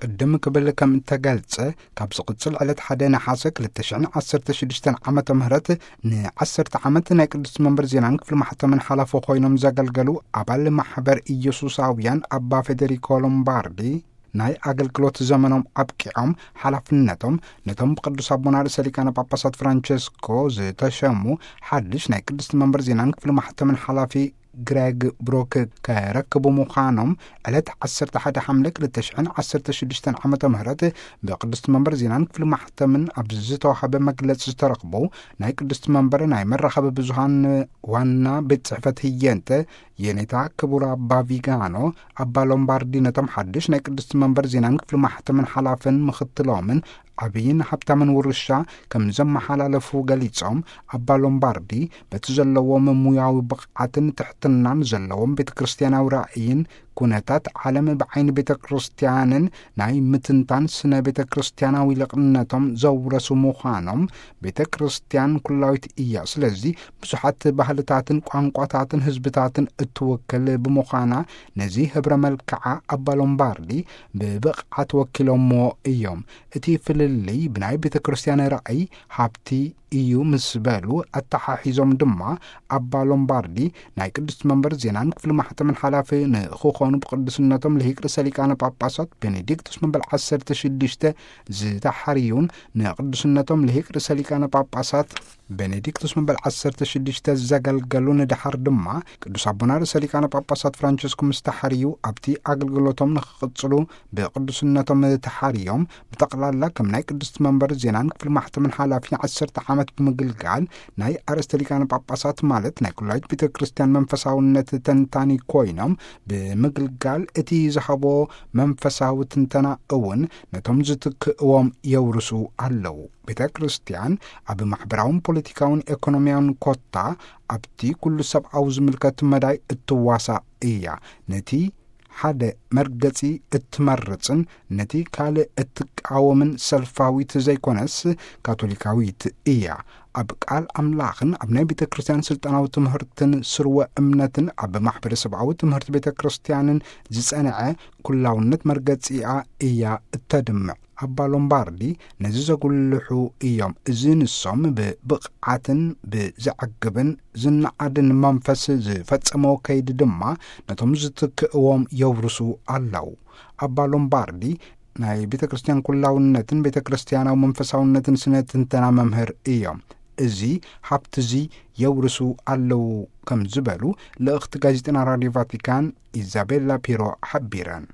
ቅድም ክብል ከም እተገልጸ፣ ካብ ዝቕጽል ዕለት ሓደ ነሓሰ ክልተ ሽሕን ዓሰርተ ሽዱሽተን ዓመተ ምህረት ንዓሰርተ ዓመት ናይ ቅዱስ መንበር ዜናን ክፍሊ ማሕተምን ሓላፊ ኮይኖም ዘገልገሉ ኣባል ማሕበር ኢየሱሳውያን ኣባ ፌዴሪኮ ሎምባርዲ፣ ናይ ኣገልግሎት ዘመኖም ኣብቂዖም፣ ሓላፍነቶም ነቶም ብቅዱስ ኣቦና ርእሰ ሊቃነ ጳጳሳት ፍራንቸስኮ ዝተሸሙ ሓድሽ ናይ ቅድስቲ መንበር ዜናን ክፍሊ ማሕተምን ሓላፊ ግሬግ ብሮክ ከረክቡ ምዃኖም ዕለት ዓሰርተ ሓደ ሓምለ ክልተ ሽሕን ዓሰርተ ሽዱሽተን ዓመተ ምህረት ብቅድስቲ መንበር ዜናን ክፍሊ ማሕተምን ኣብ ዝተዋሃበ መግለጺ ዝተረኽቡ ናይ ቅድስቲ መንበር ናይ መራኸቢ ብዙሃን ዋና ቤት ጽሕፈት ህየንተ የኔታ ክቡር ኣባ ቪጋኖ፣ ኣባ ሎምባርዲ ነቶም ሓድሽ ናይ ቅድስቲ መንበር ዜናን ክፍሊ ማሕተምን ሓላፍን ምኽትሎምን ዓብይን ሃብታምን ውርሻ ከም ዘመሓላለፉ ገሊጾም፣ ኣባ ሎምባርዲ በቲ ዘለዎም ሙያዊ ብቕዓትን ትሕትናን ዘለዎም ቤተ ክርስቲያናዊ ራእይን ኩነታት ዓለም ብዓይኒ ቤተ ክርስቲያንን ናይ ምትንታን ስነ ቤተ ክርስቲያናዊ ልቕነቶም ዘውረሱ ምዃኖም፣ ቤተ ክርስቲያን ኩላዊት እያ። ስለዚ ብዙሓት ባህልታትን ቋንቋታትን ህዝብታትን እትውክል ብምዃና፣ ነዚ ህብረ መልክዓ ኣባ ሎምባርዲ ብብቕዓት ወኪሎምዎ እዮም። እቲ ፍልልይ ብናይ ቤተ ክርስቲያን ራእይ፣ ሃብቲ እዩ ምስ በሉ ኣተሓሒዞም ድማ፣ ኣባ ሎምባርዲ ናይ ቅድስቲ መንበር ዜናን ክፍሊ ማሕተምን ሓላፊ ንክኾኑ ብቅዱስነቶም ልሂቅ ርእሰ ሊቃነ ጳጳሳት ቤኔዲክቱስ መበል ዓሰርተ ሽዱሽተ ዝተሓርዩን ንቅዱስነቶም ልሂቅ ርእሰ ሊቃነ ጳጳሳት ቤኔዲክቱስ መበል ዓሰርተ ሽዱሽተ ዘገልገሉን ድሓር ድማ ቅዱስ ኣቦና ርእሰ ሊቃነ ጳጳሳት ፍራንቸስኮ ምስ ተሓርዩ ኣብቲ ኣገልግሎቶም ንክቕጽሉ ብቅዱስነቶም ተሓርዮም ብጠቕላላ ከም ናይ ቅድስቲ መንበር ዜናን ክፍሊ ማሕተምን ሓላፊ ዓሰርተ ዓመት ብምግልጋል ናይ ኣርእስተ ሊቃነ ጳጳሳት ማለት ናይ ኩላዊት ቤተ ክርስቲያን መንፈሳውነት ተንታኒ ኮይኖም ብምግልጋል እቲ ዝሃቦ መንፈሳዊ ትንተና እውን ነቶም ዝትክእዎም የውርሱ ኣለዉ። ቤተ ክርስቲያን ኣብ ማሕበራውን ፖለቲካውን ኤኮኖሚያውን ኮታ ኣብቲ ኩሉ ሰብኣዊ ዝምልከት መዳይ እትዋሳእ እያ። ነቲ ሓደ መርገጺ እትመርጽን ነቲ ካልእ እትቃወምን ሰልፋዊት ዘይኮነስ ካቶሊካዊት እያ። ኣብ ቃል ኣምላኽን ኣብ ናይ ቤተ ክርስቲያን ስልጣናዊ ትምህርትን ስርወ እምነትን ኣብ ማሕበረሰብኣዊ ትምህርቲ ቤተ ክርስቲያንን ዝጸንዐ ኩላውነት መርገጺኣ እያ እተድምዕ። ኣባ ሎምባርዲ ነዚ ዘጉልሑ እዮም። እዚ ንሶም ብብቕዓትን ብዘዕግብን ዝነኣድን መንፈስ ዝፈጸመዎ ከይዲ ድማ ነቶም ዝትክእዎም የውርሱ ኣለዉ። ኣባ ሎምባርዲ ናይ ቤተ ክርስቲያን ኩላውነትን ቤተ ክርስቲያናዊ መንፈሳውነትን ስነ ትንተና መምህር እዮም። እዚ ሃብቲ እዚ የውርሱ ኣለዉ ከም ዝበሉ ልእኽቲ ጋዜጠና ራድዮ ቫቲካን ኢዛቤላ ፒሮ ሓቢረን።